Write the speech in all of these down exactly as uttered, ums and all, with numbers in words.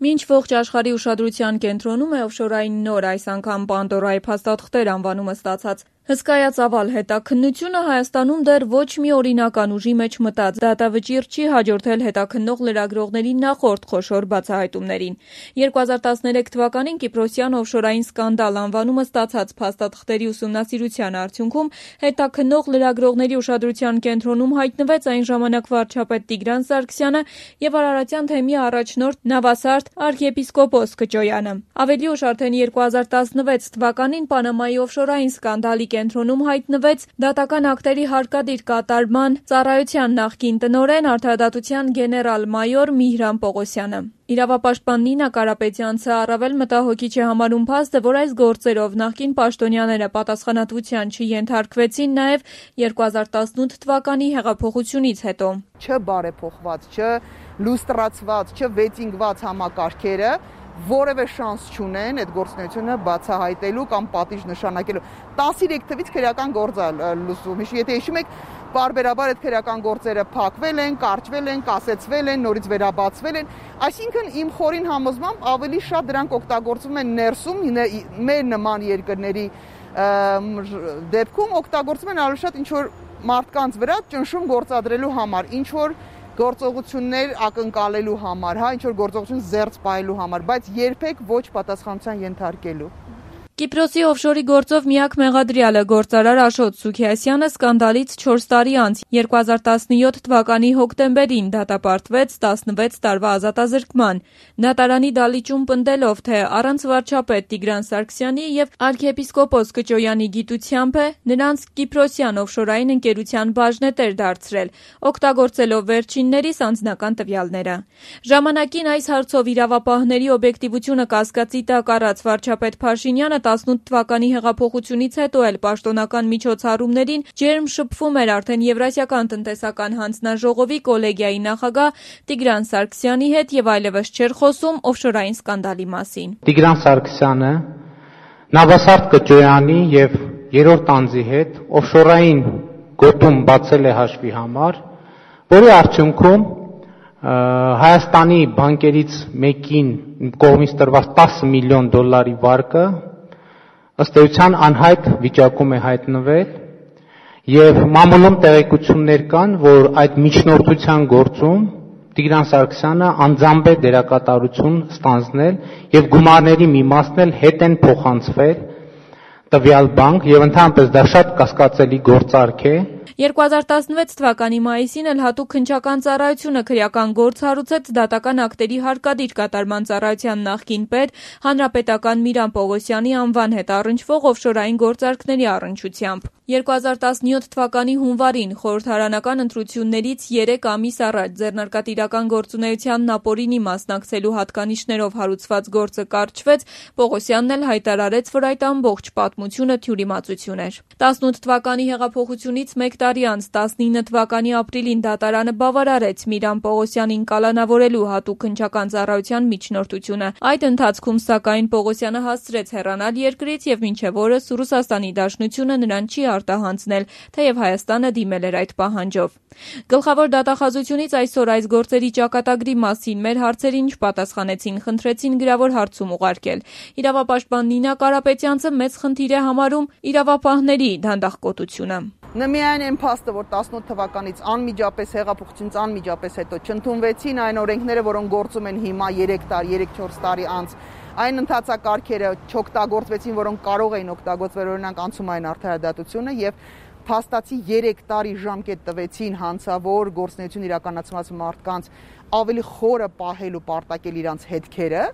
Մինչ ողջ աշխարհի ուշադրության կենտրոնում է օֆշորային նոր, այս անգամ Պանդորայի փաստաթղթեր անվանումը ստացած հսկայածավալ հետաքննությունը, Հայաստանում դեռ ոչ մի օրինական ուժի մեջ մտած դատավճիռ չի հաջորդել հետաքննող լրագրողների նախորդ խոշոր բացահայտումներին։ երկու հազար տասներեք թվականին Կիպրոսյան օֆշորային սկանդալ անվանումը ստացած փաստաթղթերի ուսումնասիրության արդյունքում հետաքննող լրագրողների ուշադրության կենտրոնում հայտնվեց այն ժամանակ վարչապետ Տիգրան Սարգսյանը եւ Արարատյան թեմի առաջնորդ Նավասարդ արքիեպիսկոպոս Քճոյանը։ Ավելի ուշ արդեն երկու հազար տասնվեց թվականին Պանամայի օֆշորային սկանդալի կենտրոնում հայտնվեց դատական ակտերի հարկադիր կատարման ծառայության նախկին տնօրեն, արդարադատության գեներալ-մայոր Միհրան Պողոսյանը։ Իրավապաշտպան Նինա Կարապետյանցը առավել մտահոգիչ է համարում փաստը, որ այս գործերով նախկին պաշտոնյաները պատասխանատվության չենթարկվեցին նաև երկու հազար տասնութ թվականի հեղափոխությունից հետո։ Չբարեփոխված, չլուստրացված, չվեծինգված համակարգերը որևէ շանս չունեն այդ գործունեությունը բացահայտելու կամ պատիժ նշանակելու։ տասներեք թվից քրեական գործ է լուծում։ Եթե հիշում եք, բարբերաբար այդ քրեական գործերը փակվել են, կարճվել են, կասեցվել են, նորից վերաբացվել են։ Այսինքն իմ խորին համոզմամբ ավելի շատ դրանք օգտագործվում են ներսում, մեր նման երկրների դեպքում օգտագործվում են ավելի շատ ինչ որ մարդկանց վրա ճնշում գործադրելու համար, ինչ որ գործողություններ ակնկալելու համար, հա, ինչ որ գործողություն զերծ պահելու համար, բայց երբեք ոչ պատասխանատվության ենթարկելու։ Կիպրոսի օֆշորի գործով միակ մեղադրյալը գործարար Աշոտ Սուքիասյանը սկանդալից չորս տարի անց երկու հազար տասնյոթ թվականի հոկտեմբերին դատապարտվեց տասնվեց տարվա ազատազրկման։ Դատարանի դալիճում պնդելով, թե առանց վարչապետ Տիգրան Սարգսյանի եւ արքիեպիսկոպոս Քճոյանի գիտությամբ է նրանց Կիպրոսյան օֆշորային ընկերության բաժնետեր դարձրել, օգտագործելով վերջիններիս անձնական տվյալները։ Ժամանակին այս հարցով իրավապահների օբյեկտիվությունը կասկածի տակ առած վարչապետ Փաշինյանը տասնութ թվականի հեղափոխությունից հետո էլ պաշտոնական միջոցառումներին ջերմ շփվում էր արդեն Եվրասիական տնտեսական հանձնաժողովի կոլեգիայի նախագահ Տիգրան Սարգսյանի հետ եւ այլևս չէր խոսում օֆշորային սկանդալի մասին։ Տիգրան Սարգսյանը Նավասարդ Քճոյանի եւ երրորդ անձի հետ օֆշորային գոտում բացել է հաշվի համար, որի արդյունքում Հայաստանի բանկերից մեկին կողմից տրված տասը միլիոն դոլարի վարկը ըստ էության անհայտ վիճակում է հայտնվել եւ մամուլում տեղեկություններ կան, որ այդ միջնորդության գործում Տիգրան Սարգսյանը անձամբ է դերակատարություն ստանձնել եւ գումարների մի մասն էլ հետ են փոխանցվել տվյալ բանկ եւ ընդհանրապես դա շատ կասկածելի գործարք է։ երկու հազար տասնվեց թվականի մայիսին էլ հատուկ քննչական ծառայությունը քրեական գործ հարուցեց դատական ակտերի հարկադիր կատարման ծառայության նախկին պետ հանրապետական Միհրան Պողոսյանի անվան հետ առնչվող օֆշորային գործարքների առնչությամբ։ երկու հազար տասնյոթ թվականի հունվարին խորհրդարանական ընտրություններից երեք ամիս առաջ ձեռնարկատիրական գործունեության ապօրինի մասնակցելու հատկանիշներով հարուցված գործը կարճվեց, Պողոսյանն էլ հայտարարեց, որ այդ ամբողջ պատմությունը թյուրիմացություն էր։ տասնութ թվականի հեղափոխությունից մեկ տարի անց տասնինը թվականի ապրիլին դատարանը բավարարեց Միհրան Պողոսյանին կալանավորելու հատուկ քննչական ծառայության միջնորդությունը։ Այդ ընթացքում սակայն Պողոսյանը հասցրեց հեռանալ երկրից եւ մինչեւ օրս Ռուսաստանի Դաշնությունը նրան չի արտահանձնել, թեև Հայաստանը դիմել էր այդ պահանջով։ Գլխավոր դատախազությունից այսօր այս գործերի ճակատագրի մասին մեր հարցերին չպատասխանեցին, խնդրեցին գրավոր հարցում ուղարկել։ Իրավապաշտպան Նինա Կարապետյանցը մեծ խնդիր է համարում իրավապահների դանդաղկոտությունը։ Նմիայն այն փաստը, որ տասնութ թվականից անմիջապես հեղափոխությունից անմիջապես հետո չընդունվեցին այն օրենքները, որոնք գործում են հիմա երեք տարի, երեք չորս տարի անց, այն ընթացակարգերը չօգտագործվեցին, որոնք կարող էին օգտագործվել, օրինակ անցումային արդարադատությունը եւ փաստացի երեք տարի ժամկետ տվեցին հանցավոր գործունեություն իրականացնող մարդկանց ավելի խորը պահելու պարտակել իրանց հետքերը,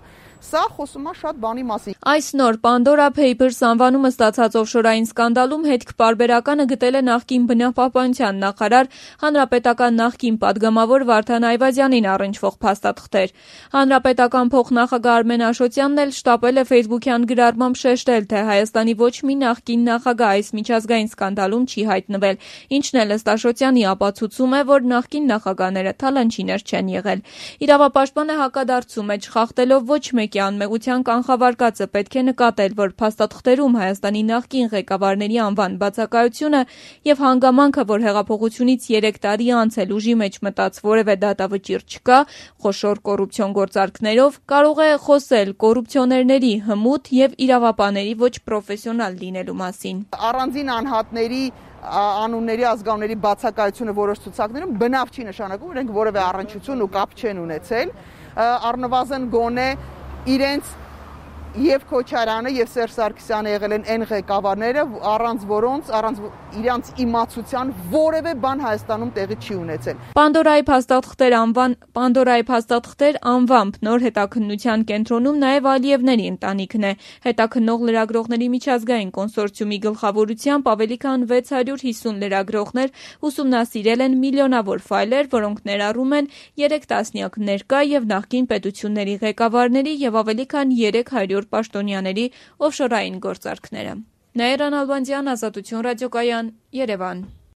սա խոսում է շատ բանի մասին։ Այս նոր Pandora Papers անվանումը ստացած օֆշորային սկանդալում հետք պարբերականը գտել է նախկին բնապահպանության նախարար, հանրապետական նախկին падգամավոր Վարդան Այվազյանին առնչվող փաստաթղթեր։ Հանրապետական փոխնախագահ Արմեն Աշոտյանն էլ շտապել է Facebook-յան գրառմամբ շեշտել, թե Հայաստանի ոչ մի նախկին նախագահ այս միջազգային սկանդալում չի հայտնվել, ինչն էլ ըստ Աշոտյանի ապացուցում է, որ նախկին նախագահները թալանչիներ չեն եղել։ եղել։ Իրավապաշտպանը հակադարձում է, չխախտելով ոչ մեկի անմեղության կանխավարկածը, պետք է նկատել, որ փաստաթղթերում Հայաստանի նախկին ղեկավարների անվան բացակայությունը եւ հանգամանքը, որ հեղափոխությունից երեք տարի անց էլ ուժի մեջ մտած որևէ դատավճիռ չկա, խոշոր կոռուպցիոն գործարքներով, կարող է խոսել կոռուպցիոներների հմուտ եւ իրավապահների ոչ պրոֆեսիոնալ լինելու մասին։ Առանձին անհատների անունների ազգանունների բացակայությունը որոշ ցուցակներում բնավ չի նշանակում, իրենք որևէ առնչություն ու կապ չեն ունեցել, առնվազն գոնե իրենց եւ Քոչարյանը եւ Սերժ Սարգսյանը եղել են այն ղեկավարները, առանց որոնց, առանց իրանց իմացության որևէ բան Հայաստանում տեղի չի ունեցել։ Պանդորայի փաստաթղթեր անվան Պանդորայի փաստաթղթեր անվամբ նոր հետաքննության կենտրոնում նաեւ Ալիևների ընտանիքն է։ Հետաքննող լրագրողների միջազգային կոնսորցիումի գլխավորությամբ ավելի քան վեց հարյուր հիսուն լրագրողներ ուսումնասիրել են միլիոնավոր ֆայլեր, որոնք ներառում են երեք տասնյակ ներկա եւ նախկին պետությունների ղեկավարների եւ ավելի քան երեք հարյուր պաշտոնյաների օֆշորային գործարքները։ Նաիրա Նալբանդյան, Ազատություն ռադիոկայան, Երևան։